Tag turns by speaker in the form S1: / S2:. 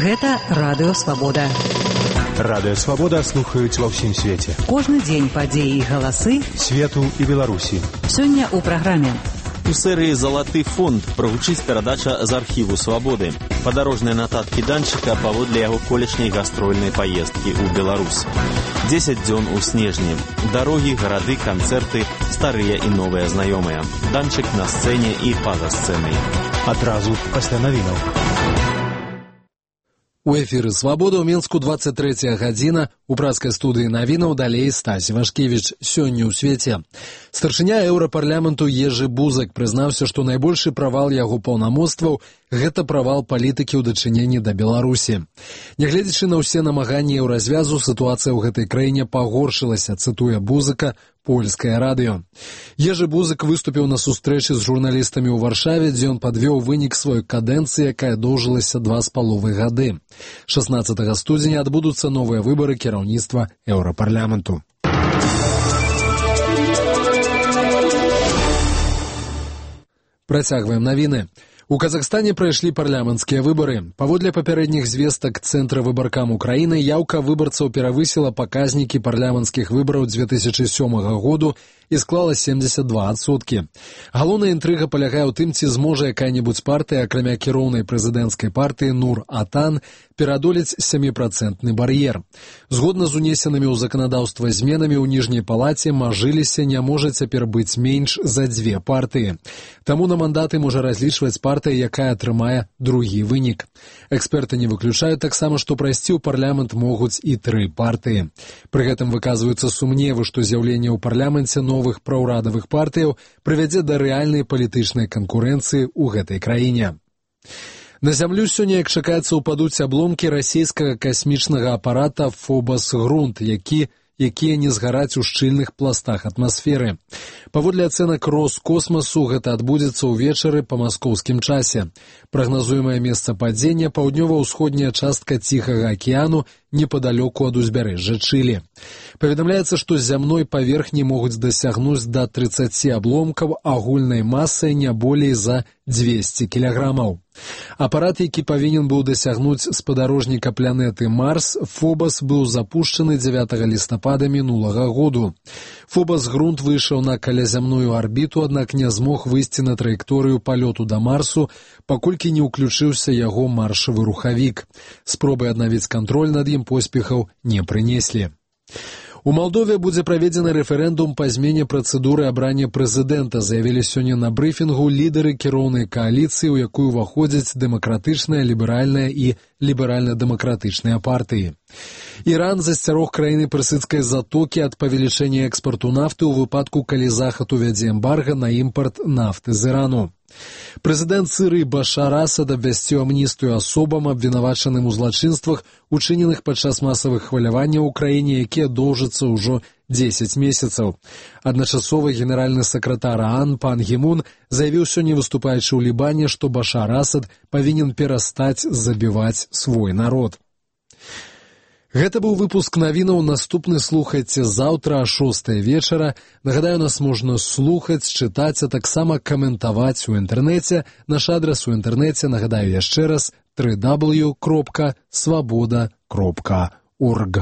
S1: Гэта Радыё Свабода.
S2: Радыё Свабода слухаюць ва ўсім свеце.
S1: Кожны дзень падзеі і галасы
S2: свету і Беларусі.
S1: Сёння ў праграме.
S3: У серыі «Залаты фонд» прагучыць перадача з архіву «Свабоды». Падарожныя нататкі Данчыка паводле яго колішняй гастрольнай паездкі ў Беларусь. 10 дзён у снежні. Дарогі, гарады, канцэрты, старыя і новыя знаёмыя. Данчык на сцэне і па-за сцэнай.
S2: Адразу пасля навінаў.
S4: У эфіры «Свабода» ў Мінску 23 гадзіна. У праскай студыі навінаў далей Стась Вашкевіч. Сёння ў свеце. Старшыня еўрапарламенту Ежы Бузак прызнаўся, што найбольшы правал яго паўнамоцтваў – гэта правал палітыкі ў дачыненні да Беларусі. Нягледзячы на ўсе намаганні еўразвязу, сітуацыя ў гэтай краіне пагоршылася, цытуе Бузака польскае радыё. Ежы Бузак выступіў на сустрэчы з журналістамі ў Варшаве, дзе ён падвёў вынік сваёй кадэнцыі, якая доўжылася 2,5 гады. 16 студзеня адбудуцца новыя выбары кіраўніцтва еўрапарламенту. Працягваем навіны. У Казахстане прайшлі парламенцкія выбары. Паводле папярэдніх звестак Цэнтра выбаркам Украіны, яўка выбарцаў перавысіла паказнікі парламенцкіх выбараў 2007 году і склала 72%. Галоўная інтрыга палягае ў тым, ці зможа якая-небудзь партыя, акрамя кіроўнай прэзідэнцкай партыі Нур-Атан, перадолець 7% бар'ер. Згодна з унесенымі ў заканадаўства зменамі ў ніжняй палаце, мажыліся не можа цяпер быць менш за 2 партыі. Таму на мандаты можа разлічваць партыя, якая атрымае другі вынік. Эксперты не выключаюць таксама, што прайсці ў парламент могуць і 3 партыі. Пры гэтым выказваюцца сумневы, што з'яўленне ў парламенце новых праўрадавых партыяў прывядзе да рэальнай палітычнай канкурэнцыі ў гэтай краіне. На зямлю сёння, як чакаецца, упадуць абломкі расійскага касмічнага апарата «Фобас-Грунт», якія не згараць у шчыльных пластах атмасферы. Паводле ацэнак Роскосмасу, гэта адбудзецца ўвечары па маскоўскім часе. Прагназуемае месца падзення – паўднёва-ўсходняя частка Ціхага акіяну, непадалёку ад узбярэжжа Чылі. Паведамляецца, што з зямной паверхні могуць дасягнуць да 30 абломкаў агульнай масай не болей за 200 кілаграмаў. Апарат, які павінен быў дасягнуць спадарожніка планеты Марс, Фобас, быў запушчаны 9 лістапада мінулага году. Фобас-Грунт выйшаў на калязямную арбіту, аднак не змог выйсці на траекторыю палёту да Марсу, паколькі не ўключыўся яго маршавы рухавік. Спробы аднавіць кантроль над ім поспехаў не прынеслі. У Малдове будзе праведзены рэферэндум па змене працэдуры абрання прэзідэнта, заявілі сёння на брыфінгу лідары кіроўнай кааліцыі, у якую ўваходзяць дэмакратычная, ліберальная і ліберальна-дэмакратычныя партыі. Іран засцярог краіны персідскай затокі ад павелічэння экспарту нафты ў выпадку, калі Захад увядзе эмбарга на імпарт нафты з Ірану. Прэзідэнт Сірыі Башар Асад абвясціў амністыю асобам, абвінавачаным у злачынствах, учыненых падчас масавых хваляванняў у краіне, якія доўжацца ўжо 10 месяцаў. Адначасова генеральны сакратар ААН Пан Гі Мун заявіў сёння, выступаючы ў Лібане, што Башар Асад павінен перастаць забіваць свой народ. Гэта быў выпуск навінаў. Наступны слухайце заўтра о 6 вечара. Нагадаю, нас можна слухаць, чытаць, а таксама каментаваць у інтэрнэце. Наш адрас у інтэрнэце, нагадаю яшчэ раз, www.swaboda.org.